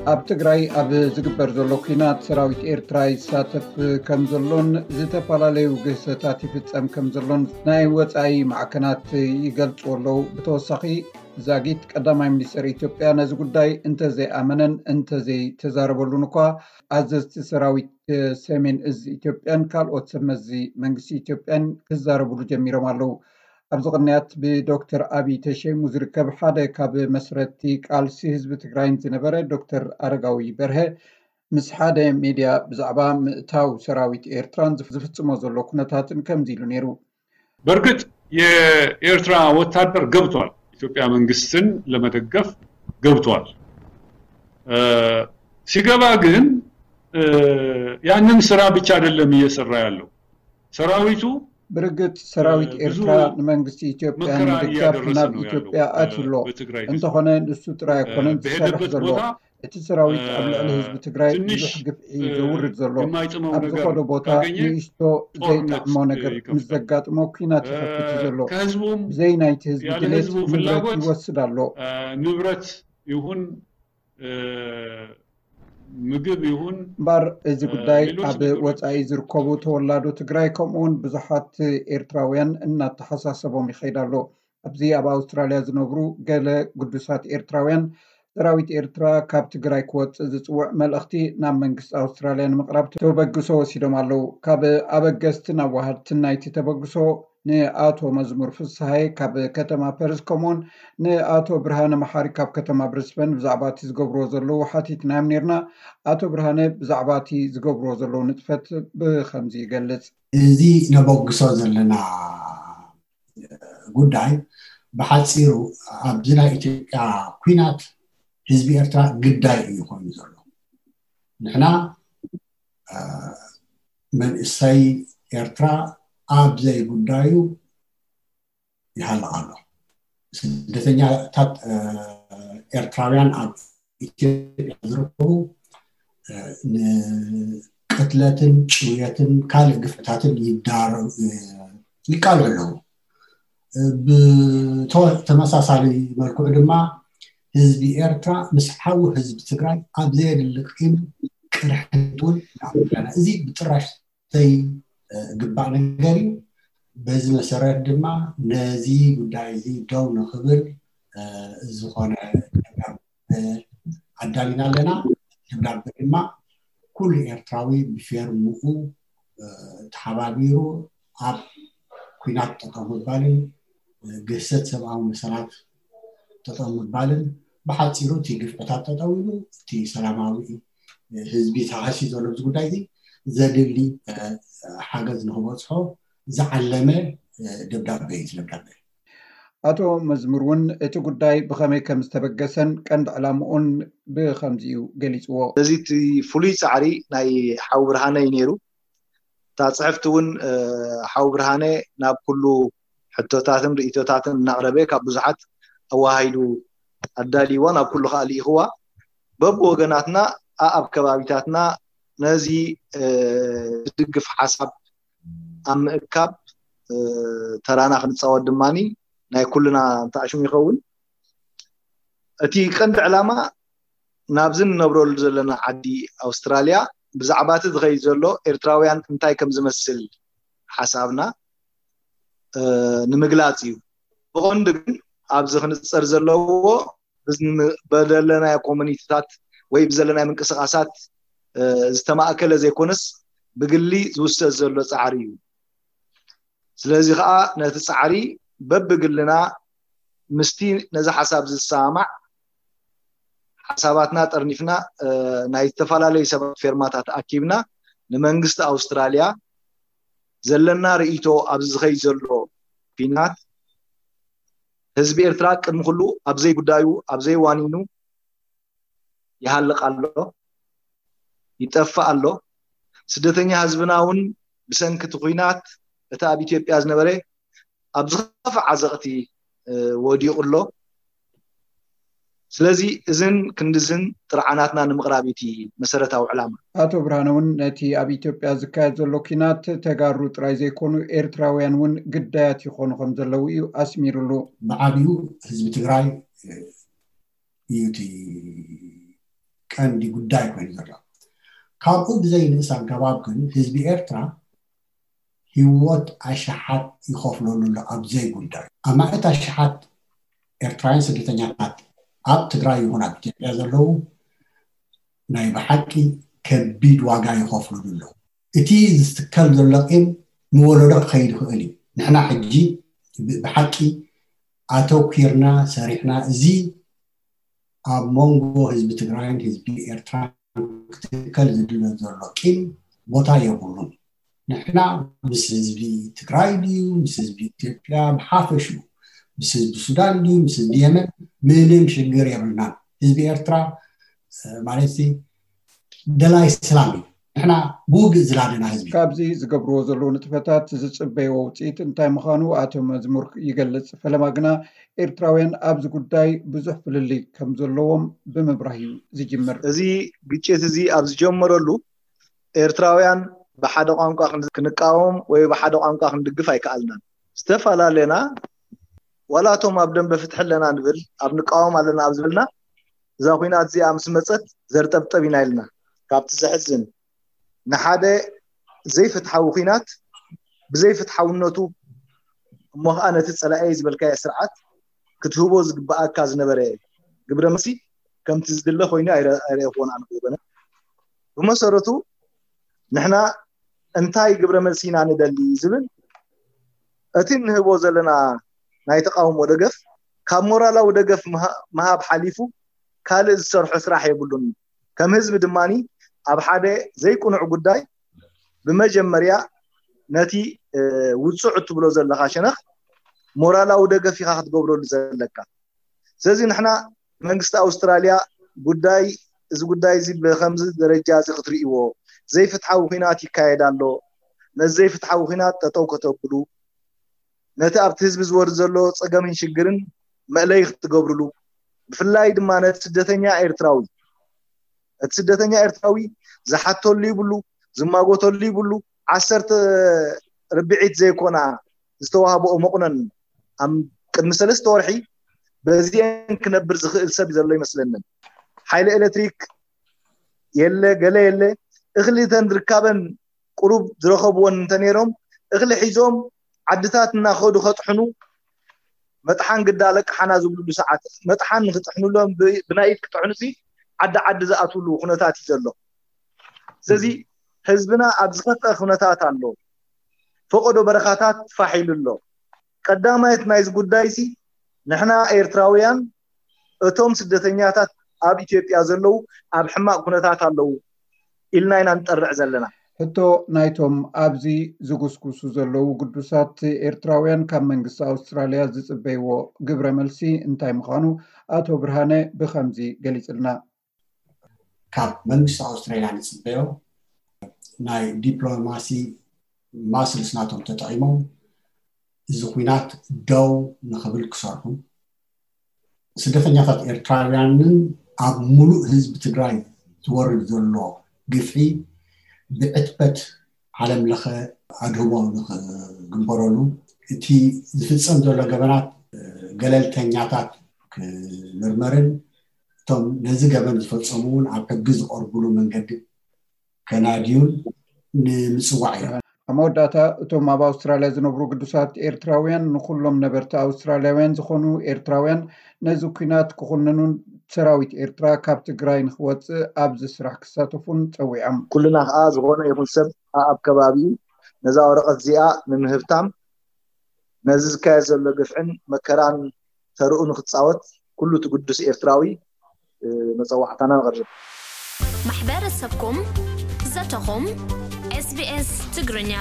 ኣብ ትግራይ ኣብ ዝግበር ዘሎ ኲናት ሰራዊት ኤርትራ ይሳተፍ ከም ዘሎን ዝተፈላለዩ ግህሰታት ይፍጸም ከም ዘሎን ናይ ወጻኢ ማዕከናት ይገልጹ ኣለዉ። ብተወሳኺ ዛጊት ቀዳማይ ሚኒስትር ኢትዮጵያ ነዚ ጉዳይ እንተዘይኣመነን እንተዘይተዛረበሉን እኳ ኣዘዝቲ ሰራዊት ሰሜን እዝ ኢትዮጵያን ካልኦት ሰብ መዚ መንግስቲ ኢትዮጵያን ክዛረብሉ ጀሚሮም ኣለዉ። ኣብዚ ቅንያት ብዶክተር ኣብይ ተሸይሙ ዝርከብ ሓደ ካብ መስረቲ ቃልሲ ህዝቢ ትግራይን ዝነበረ ዶክተር ኣረጋዊ በርሀ ምስ ሓደ ሚድያ ብዛዕባ ምእታው ሰራዊት ኤርትራን ዝፍጽሞ ዘሎ ኩነታትን ከምዚ ኢሉ ነይሩ። በእርግጥ የኤርትራ ወታደር ገብቷል፣ ኢትዮጵያ መንግስትን ለመደገፍ ገብቷል። ሲገባ ግን ያንን ስራ ብቻ አይደለም እየሰራ ያለው ሰራዊቱ። ብርግጥ ሰራዊት ኤርትራ ንመንግስቲ ኢትዮጵያ ንምድጋፍ ናብ ኢትዮጵያ ኣትሎ። እንተኾነ ንሱ ጥራይ ኣይኮነን ዝሰርሕ ዘሎ። እቲ ሰራዊት ኣብ ልዕሊ ህዝቢ ትግራይ ብዙሕ ግፍዒ ዘውርድ ዘሎ። ኣብ ዝኾነ ቦታ ንእሽቶ ዘይጥዕሞ ነገር ምስ ዘጋጥሞ ኲናት ይኸፍት ዘሎ። ብዘይ ናይቲ ህዝቢ ድሌት ንብረት ይወስድ ኣሎ። ንብረት ይኹን ምግብ ይኹን እምበር እዚ ጉዳይ ኣብ ወፃኢ ዝርከቡ ተወላዶ ትግራይ ከምኡውን ብዙሓት ኤርትራውያን እናተሓሳሰቦም ይኸይድ ኣሎ። ኣብዚ ኣብ ኣውስትራልያ ዝነብሩ ገለ ግዱሳት ኤርትራውያን ሰራዊት ኤርትራ ካብ ትግራይ ክወፅእ ዝፅውዕ መልእኽቲ ናብ መንግስቲ ኣውስትራልያ ንምቕራብ ተበግሶ ወሲዶም ኣለዉ። ካብ ኣበገስትን ኣዋሃድትን ናይቲ ተበግሶ ንኣቶ መዝሙር ፍስሃየ ካብ ከተማ ፐርዝ ከምኡውን ንኣቶ ብርሃነ መሓሪ ካብ ከተማ ብሪስበን ብዛዕባ እቲ ዝገብርዎ ዘለዉ ሓቲትናዮም ነይርና። ኣቶ ብርሃነ ብዛዕባ እቲ ዝገብርዎ ዘለዉ ንጥፈት ብኸምዚ ይገልጽ። እዚ ነበግሶ ዘለና ጉዳይ ብሓፂሩ ኣብዚ ናይ ኢትዮጵያ ኲናት ህዝቢ ኤርትራ ግዳይ እዩ ኮይኑ ዘሎ። ንሕና መንእሰይ ኤርትራ ኣብ ዘይጉዳዩ ይሃልቕ ኣሎ። ስደተኛታት ኤርትራውያን ኣብ ኢትዮጵያ ዝርከቡ ንቅትለትን ጭውየትን ካልእ ግፍዕታትን ይዳረጉ ይቃልዑ ኣለዉ። ብተመሳሳሊ መልክዑ ድማ ህዝቢ ኤርትራ ምስ ሓዊ ህዝቢ ትግራይ ኣብ ዘየድሊ ቂም ቅርሕንት እውን ንኣምር ኣለና። እዚ ብጥራሽ ዘይግባእ ነገር እዩ። በዚ መሰረት ድማ ነዚ ጉዳይ እዚ ደው ንኽብል ዝኾነ ደብዳበ ኣዳሊና ኣለና። ደብዳበ ድማ ኩሉ ኤርትራዊ ብፌርምኡ ተሓባቢሩ ኣብ ኲናት ጠጠው ምባልን ግህሰት ሰብኣዊ መሰላት ጠጠው ምባልን ብሓፂሩ እቲ ግፍዕታት ጠጠው ኢሉ እቲ ሰላማዊ ህዝቢ ተሃስዩ ዘሎ ኣብዚ ጉዳይ እዚ ዘድሊ ሓገዝ ንክበፅሖ ዝዓለመ ደብዳበ እዩ። ደብዳበ ኣቶ መዝሙር እውን እቲ ጉዳይ ብኸመይ ከም ዝተበገሰን ቀንዲ ዕላምኡን ብኸምዚ እዩ ገሊፅዎ። እዚ እቲ ፍሉይ ፃዕሪ ናይ ሓው ብርሃነ እዩ ነይሩ። እታ ፅሕፍቲ እውን ሓው ብርሃነ ናብ ኩሉ ሕቶታትን ርእቶታትን እናቕረበ ካብ ብዙሓት ኣወሃሂዱ ኣዳልይዋ ናብ ኩሉ ከዓ ልኢኽዋ። በብወገናትና ኣኣብ ከባቢታትና ነዚ ዝድግፍ ሓሳብ ኣብ ምእካብ ተራና ክንፃወት ድማ ናይ ኩልና ተኣሽሙ ይኸውን። እቲ ቀንዲ ዕላማ ናብዚ ንነብረሉ ዘለና ዓዲ ኣውስትራልያ ብዛዕባ እቲ ዝኸይድ ዘሎ ኤርትራውያን እንታይ ከም ዝመስል ሓሳብና ንምግላፅ እዩ። ብቐንዱ ግን ኣብዚ ክንፀር ዘለዎ በዘለናዮ ኮሚኒቲታት ወይ ብዘለናዮ ምንቅስቃሳት ዝተማእከለ ዘይኮነስ ብግሊ ዝውሰድ ዘሎ ፃዕሪ እዩ። ስለዚ ከዓ ነቲ ፃዕሪ በብግልና ምስቲ ነዚ ሓሳብ ዝሰማማዕ ሓሳባትና ጠርኒፍና ናይ ዝተፈላለዩ ሰባት ፌርማታት ኣኪብና ንመንግስቲ ኣውስትራልያ ዘለና ርእይቶ ኣብዚ ዝኸይድ ዘሎ ኲናት ህዝቢ ኤርትራ ቅድሚ ኩሉ ኣብ ዘይጉዳዩ ኣብ ዘይዋኒኑ ይሃልቕ ኣሎ፣ ይጠፍእ ኣሎ። ስደተኛ ህዝብና እውን ብሰንኪ እቲ ኲናት እቲ ኣብ ኢትዮጵያ ዝነበረ ኣብ ዝኸፍእ ዓዘቕቲ ወዲቑ ኣሎ። ስለዚ እዝን ክንድዝን ጥርዓናትና ንምቕራብ እዩ እቲ መሰረታዊ ዕላማ። ኣቶ ብርሃነ እውን ነቲ ኣብ ኢትዮጵያ ዝካየድ ዘሎ ኲናት ተጋሩ ጥራይ ዘይኮኑ ኤርትራውያን እውን ግዳያት ይኾኑ ከም ዘለዉ እዩ ኣስሚሩሉ። ብዓብዩ ህዝቢ ትግራይ እዩ እቲ ቀንዲ ጉዳይ ኮይኑ ዘሎ። ካብኡ ብዘይንእስ ኣገባብ ግን ህዝቢ ኤርትራ ህይወት ኣሽሓት ይኸፍለሉ ኣሎ ኣብ ዘይጉዳዩ። ኣማእት ኣሽሓት ኤርትራውያን ስደተኛታት ኣብ ትግራይ ይኹን ኣብ ኢትዮጵያ ዘለዉ ናይ ብሓቂ ከቢድ ዋጋ ይኸፍሉሉ ኣለዉ። እቲ ዝትከል ዘሎ ቂም ንወለዶ ክኸይድ ይኽእል እዩ። ንሕና ሕጂ ብሓቂ ኣተኲርና ሰሪሕና፣ እዚ ኣብ መንጎ ህዝቢ ትግራይን ህዝቢ ኤርትራን ክትከል ዝድለ ዘሎ ቂም ቦታ የብሉን። ንሕና ምስ ህዝቢ ትግራይ ድዩ፣ ምስ ህዝቢ ኢትዮጵያ ብሓፈሽኡ፣ ምስ ህዝቢ ሱዳን ድዩ፣ ምስ ህዝቢ የመን፣ ምንም ሽግር የብልናን። ህዝቢ ኤርትራ ማለት ደላይ ሰላም እዩ። ንሕና ብውግእ ዝላደና ህዝቢ። ካብዚ ዝገብርዎ ዘለዉ ንጥፈታት ዝፅበይዎ ውፅኢት እንታይ ምዃኑ ኣቶ መዝሙር ይገልፅ። ፈለማ ግና ኤርትራውያን ኣብዚ ጉዳይ ብዙሕ ፍልልይ ከም ዘለዎም ብምብራህ እዩ ዝጅምር። እዚ ግጭት እዚ ኣብ ዝጀመረሉ ኤርትራውያን ብሓደ ቋንቋ ክንቃወም ወይ ብሓደ ቋንቋ ክንድግፍ ኣይከኣልናን። ዝተፈላለና ዋላ እቶም ኣብ ደንበ ፍትሒ ኣለና ንብል ኣብ ንቃወም ኣለና ኣብ ዝበልና እዛ ኩናት እዚኣ ምስ መፀት ዘርጠብጠብ ኢና ኢልና። ካብቲ ዘሕዝን ንሓደ ዘይፍትሓዊ ኩናት ብዘይፍትሓውነቱ እሞ ከዓ ነቲ ፀላኤ ዝበልካዮ ስርዓት ክትህቦ ዝግበኣካ ዝነበረ ግብረ መልሲ ከምቲ ዝድለ ኮይኑ ኣይረእኽዎን ኣነ ብወገነ። ብመሰረቱ ንሕና እንታይ ግብረ መልሲ ኢና ንደሊ ዝብል እቲ እንህቦ ዘለና ናይ ተቃውሞ ደገፍ ካብ ሞራላዊ ደገፍ ምሃብ ሓሊፉ ካልእ ዝሰርሖ ስራሕ የብሉን። ከም ህዝቢ ድማ ኣብ ሓደ ዘይቅኑዕ ጉዳይ ብመጀመርያ ነቲ ውፁዕ እትብሎ ዘለካ ሸነኽ ሞራላዊ ደገፍ ኢካ ክትገብረሉ ዘለካ። ስለዚ ንሕና መንግስቲ ኣውስትራልያ ጉዳይ እዚ ጉዳይ እዚ ብከምዚ ደረጃ እዚ ክትርእይዎ፣ ዘይፍትሓዊ ኩናት ይካየድ ኣሎ፣ ነዚ ዘይፍትሓዊ ኩናት ጠጠው ከተብሉ፣ ነቲ ኣብቲ ህዝቢ ዝወርድ ዘሎ ፀገምን ሽግርን መእለይ ክትገብርሉ፣ ብፍላይ ድማ ነቲ ስደተኛ ኤርትራዊ እቲ ስደተኛ ኤርትራዊ ዝሓተሉ ይብሉ፣ ዝማጎተሉ ይብሉ። ዓሰርተ ርብዒት ዘይኮና ዝተዋህበኦ መቑነን ኣብ ቅድሚ ሰለስተ ወርሒ በዚአን ክነብር ዝኽእል ሰብ ዘሎ ይመስለንን። ሓይሊ ኤሌክትሪክ የለ፣ ገለ የለ። እኽሊ ተን ርካበን ቁሩብ ዝረኸብወን እንተነይሮም እኽሊ ሒዞም ዓድታት እናኸዱ ከጥሕኑ መጥሓን ግዳ ለቅሓና ዝብልሉ ሰዓት መጥሓን ንክጥሕኑሎም ብናይ ኢድ ክጥሕኑ ሲ ዓዲ ዓዲ ዝኣትውሉ ኩነታት እዩ ዘሎ። ስለዚ ህዝብና ኣብ ዝኸፍአ ኩነታት ኣሎ። ፈቐዶ በረኻታት ፋሕ ኢሉ ኣሎ። ቀዳማይት ናይዚ ጉዳይ ሲ ንሕና ኤርትራውያን እቶም ስደተኛታት ኣብ ኢትዮጵያ ዘለዉ ኣብ ሕማቕ ኩነታት ኣለዉ ኢልና ኢና ንጠርዕ ዘለና። ሕቶ ናይቶም ኣብዚ ዝጉስጉሱ ዘለዉ ግዱሳት ኤርትራውያን ካብ መንግስቲ ኣውስትራልያ ዝፅበይዎ ግብረ መልሲ እንታይ ምዃኑ ኣቶ ብርሃነ ብኸምዚ ገሊፅልና። ካብ መንግስቲ ኣውስትራልያ ንፅበዮ ናይ ዲፕሎማሲ ማስልስ ናቶም ተጠቒሞም እዚ ኩናት ደው ንኽብል ክሰርሑ፣ ስደተኛታት ኤርትራውያንን ኣብ ሙሉእ ህዝቢ ትግራይ ዝወርድ ዘሎ ግፍዒ ብዕትበት ዓለም ለኸ ኣድህቦ ንኽግበረሉ፣ እቲ ዝፍጸም ዘሎ ገበናት ገለልተኛታት ክምርመርን እቶም ነዚ ገበን ዝፈጸሙ እውን ኣብ ሕጊ ዝቐርቡሉ መንገዲ ከናድዩን ንምፅዋዕ እዩ። ኣብ መወዳእታ እቶም ኣብ ኣውስትራልያ ዝነብሩ ግዱሳት ኤርትራውያን ንኩሎም ነበርቲ ኣውስትራልያውያን ዝኾኑ ኤርትራውያን ነዚ ኲናት ክኹንኑን ሰራዊት ኤርትራ ካብ ትግራይ ንክወፅእ ኣብዚ ስራሕ ክሳተፉን ፀዊዖም። ኩልና ከዓ ዝኾነ ይኹን ሰብ ኣብ ከባቢኡ ነዛ ወረቐት እዚኣ ንምህብታም ነዚ ዝካየድ ዘሎ ግፍዕን መከራን ተርኡ ንክፃወት ኩሉ እቲ ግዱስ ኤርትራዊ መፀዋዕታና ነቕርብ። ማሕበረሰብኩም ዘተኹም ኤስቢኤስ ትግርኛ።